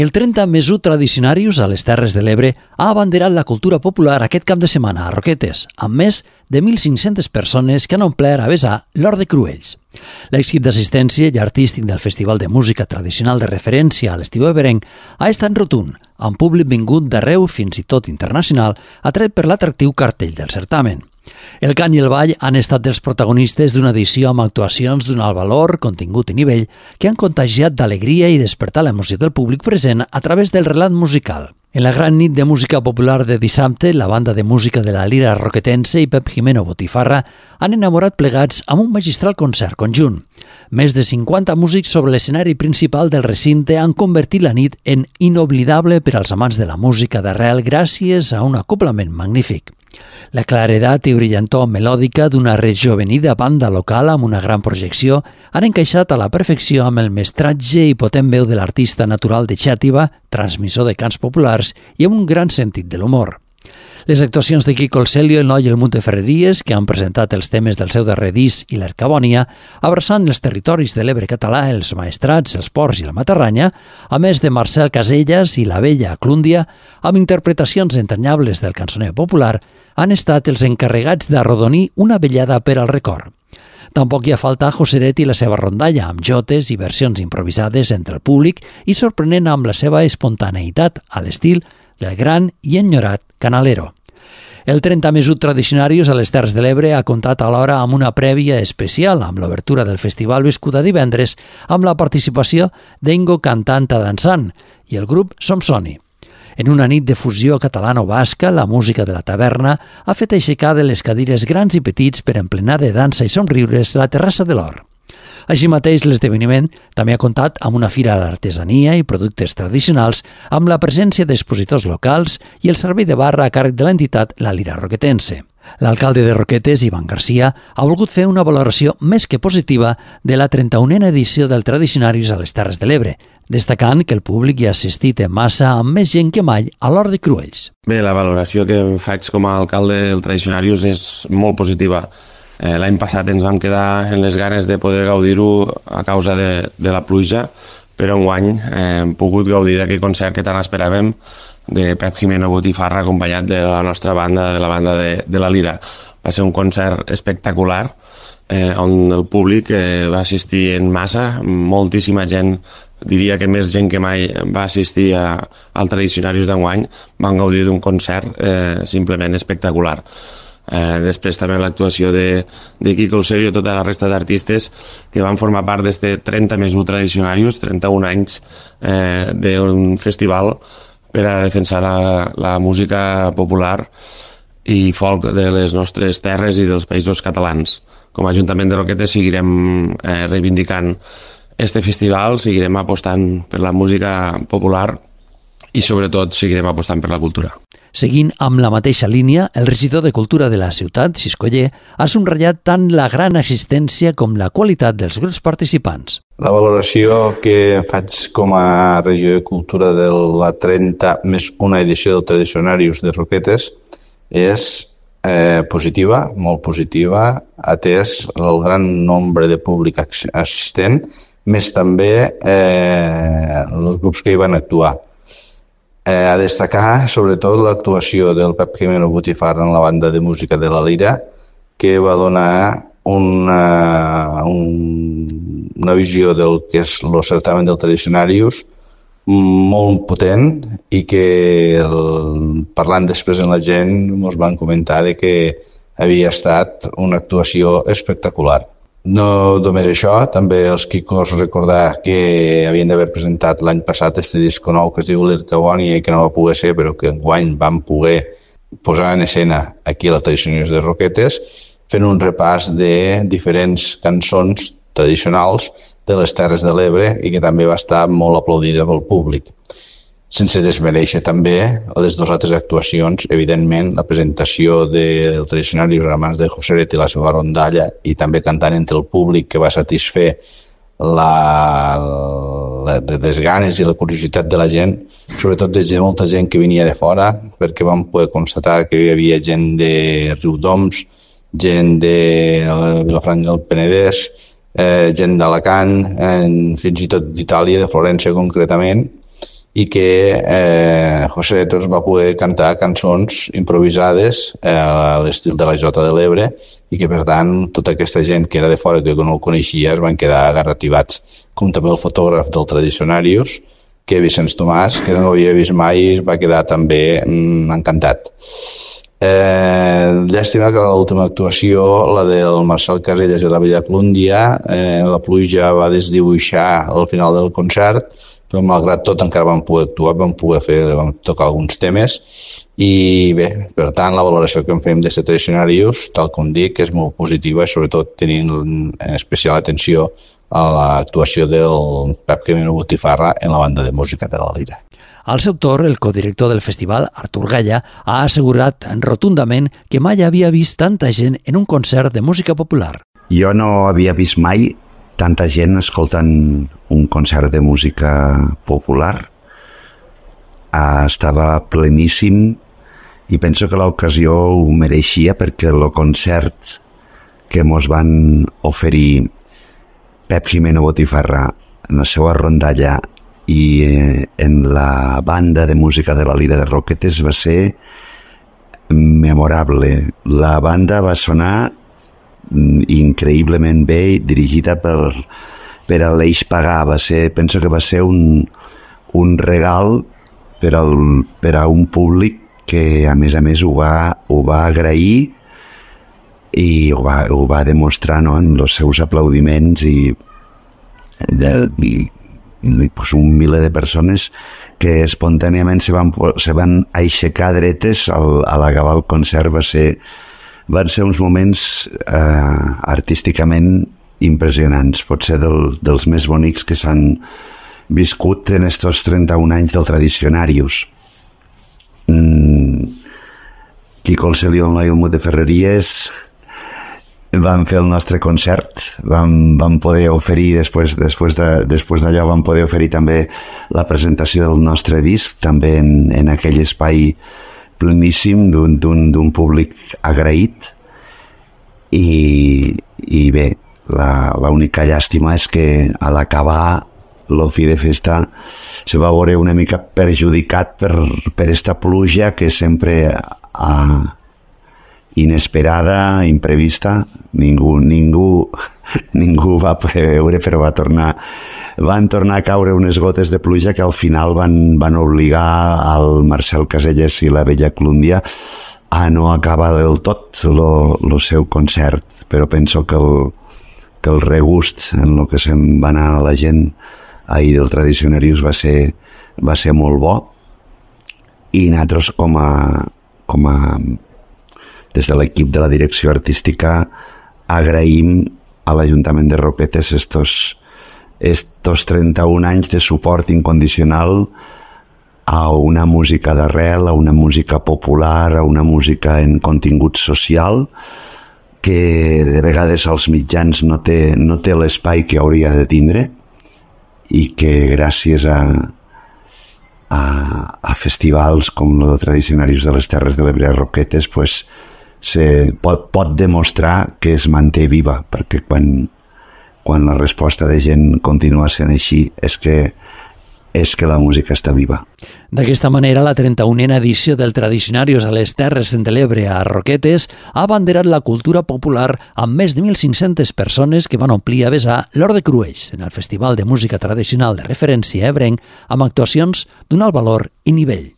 El 30 més 1 Tradicionarius a les Terres de l'Ebre ha abanderat la cultura popular aquest cap de setmana a Roquetes, amb més de 1.500 persones que han omplert a vessar l'Hort de Cruells. L'èxit d'assistència i artístic del Festival de Música Tradicional de referència a l'estiu eberenc ha estat rotund, amb públic vingut d'arreu, fins i tot internacional, atret per l'atractiu cartell del certamen. El cant i el ball han estat els protagonistes d'una edició amb actuacions d'un alt valor, contingut i nivell que han contagiat d'alegria i despertat l'emoció del públic present a través del relat musical. En la gran nit de música popular de dissabte, la banda de música de la Lira Roquetense i Pep Jimeno Botifarra han enamorat plegats amb un magistral concert conjunt. Més de 50 músics sobre l'escenari principal del recinte han convertit la nit en inoblidable per als amants de la música d'arrel gràcies a un acoblament magnífic. La claredat i brillantor melòdica d'una rejovenida banda local amb una gran projecció han encaixat a la perfecció amb el mestratge i potent veu de l'artista natural de Xàtiva, transmissor de cants populars i amb un gran sentit de l'humor. Les actuacions de Quico el Celio, el Noi i el Munt de Ferreries, que han presentat els temes del seu darrer disc i l'Ercabònia, abraçant els territoris de l'Ebre català, els Maestrats, els Ports i la Matarranya, a més de Marcel Casellas i la Bella Clúndia, amb interpretacions entranyables del cançoner popular, han estat els encarregats d'arrodonir una vellada per al record. Tampoc hi ha falta Joseret i la seva rondalla, amb jotes i versions improvisades entre el públic i sorprenent amb la seva espontaneïtat a l'estil del gran i enyorat Canalero. El 30 més 1 Tradicionarius a les Terres de l'Ebre ha comptat alhora amb una prèvia especial amb l'obertura del festival viscuda divendres amb la participació d'Engo Cantant a Dansant i el grup Somsoni. En una nit de fusió catalano-basca, la música de la taverna ha fet aixecar de les cadires grans i petits per emplenar de dansa i somriures la terrassa de l'Hort. Així mateix, l'esdeveniment també ha comptat amb una fira d'artesania i productes tradicionals amb la presència d'expositors locals i el servei de barra a càrrec de l'entitat La Lira Roquetense. L'alcalde de Roquetes, Ivan Garcia, ha volgut fer una valoració més que positiva de la 31a edició del Tradicionarius a les Terres de l'Ebre, destacant que el públic hi ha assistit en massa amb més gent que mai a l'Hort de Cruells. Bé, la valoració que faig com a alcalde del Tradicionarius és molt positiva. L'any passat ens vam quedar en les ganes de poder gaudir-ho a causa de la pluja, però enguany hem pogut gaudir d'aquest concert que tant esperàvem de Pep Jimeno Botifarra acompanyat de la nostra banda, de la banda de la Lira. Va ser un concert espectacular on el públic va assistir en massa, moltíssima gent, diria que més gent que mai va assistir al Tradicionarius d'enguany, van gaudir d'un concert simplement espectacular. Després també l'actuació de Quico el Celio i tota la resta d'artistes que van formar part d'aquest 30 més 1 Tradicionarius, 31 anys d'un festival per a defensar la música popular i folk de les nostres terres i dels països catalans. Com a Ajuntament de Roquetes seguirem reivindicant este festival, seguirem apostant per la música popular i sobretot seguirem apostant per la cultura. Seguint amb la mateixa línia, el regidor de Cultura de la ciutat, Xiscoller, ha subratllat tant la gran assistència com la qualitat dels grups participants. La valoració que faig com a regidor de Cultura de la 30 més 1 edició del Tradicionarius de Roquetes és positiva, molt positiva, atès el gran nombre de públic assistent, més també els grups que hi van actuar. A destacar, sobretot, l'actuació del Pep Jimeno Botifarra en la banda de música de la Lira, que va donar una visió del que és el certamen del Tradicionarius molt potent i que, parlant després amb la gent, ens van comentar que havia estat una actuació espectacular. No només això, també els Quicos recordar que havien d'haver presentat l'any passat este disco nou que es diu l'Ercabònia i que no va poder ser, però que enguany vam poder posar en escena aquí a la Tradicionarius de Roquetes, fent un repàs de diferents cançons tradicionals de les Terres de l'Ebre i que també va estar molt aplaudida pel públic. Sense desmereixer també les dues altres actuacions, evidentment, la presentació del Tradicionarius a mans de Joseret i la seva rondalla i també cantant entre el públic que va satisfer les ganes i la curiositat de la gent, sobretot de molta gent que venia de fora, perquè vam poder constatar que hi havia gent de Riudoms, gent de Vilafranca del Penedès, gent d'Alacant, fins i tot d'Itàlia, de Florència concretament, i que José ens va poder cantar cançons improvisades a l'estil de la Jota de l'Ebre i que, per tant, tota aquesta gent que era de fora que no el coneixia es van quedar agarrativats, com també el fotògraf del Tradicionarius, que Vicenç Tomàs, que no havia vist mai, es va quedar també encantat. Llàstima que l'última actuació, la del Marcel Casellas i la Bella Clúndia, la pluja va desdibuixar al final del concert, però malgrat tot encara vam poder actuar, vam tocar alguns temes i bé, per tant la valoració que en fem de Tradicionarius, tal com dic, és molt positiva i sobretot tenint en especial atenció a l'actuació del Pep Camino Botifarra en la banda de música de la Lira. Al seu torn, el codirector del festival, Artur Galla, ha assegurat rotundament que mai havia vist tanta gent en un concert de música popular. Jo no havia vist mai tanta gent escoltant un concert de música popular. Estava pleníssim i penso que l'ocasió ho mereixia perquè el concert que mos van oferir Pep Jimeno Botifarra en la seva rondalla i en la banda de música de la Lira de Roquetes va ser memorable. La banda va sonar increïblement bé, dirigida per l'Eix Pagà. Penso que va ser un regal per a un públic que a més ho va agrair i ho va demostrar, no?, en els seus aplaudiments i pues un miler de persones que espontàniament se van aixecar dretes a l'acabar el concert. Van ser uns moments artísticament impressionants, potser dels més bonics que s'han viscut en estos 31 anys del Tradicionarius. Quico el Celión i el Mut de Ferreries van fer el nostre concert, vam poder oferir, després d'allò vam poder oferir també la presentació del nostre disc, també en aquell espai pleníssim d'un públic agraït i bé, l'única llàstima és que a l'acabar l'Ofi de Festa se va veure una mica perjudicat per esta pluja que sempre inesperada, imprevista, ningú va preveure, però van tornar a caure unes gotes de pluja que al final van obligar al Marcel Casellas i la Bella Clúndia a no acabar del tot el seu concert, però penso que el regust en el que se'n va anar la gent ahir del Tradicionarius va ser molt bo i nosaltres com a des de l'equip de la direcció artística agraïm a l'Ajuntament de Roquetes estos 31 anys de suport incondicional a una música d'arrel, a una música popular, a una música en contingut social que de vegades als mitjans no té l'espai que hauria de tindre i que gràcies a festivals com el de Tradicionarius de les Terres de l'Ebre a Roquetes pues, pot demostrar que es manté viva, perquè quan la resposta de gent continua sent així és que la música està viva. D'aquesta manera, la 31a edició del Tradicionarius a les Terres de l'Ebre a Roquetes ha abanderat la cultura popular amb més de 1.500 persones que van omplir a vessar l'Hort de Cruells en el Festival de Música Tradicional de referència ebrenc amb actuacions d'un alt valor i nivell.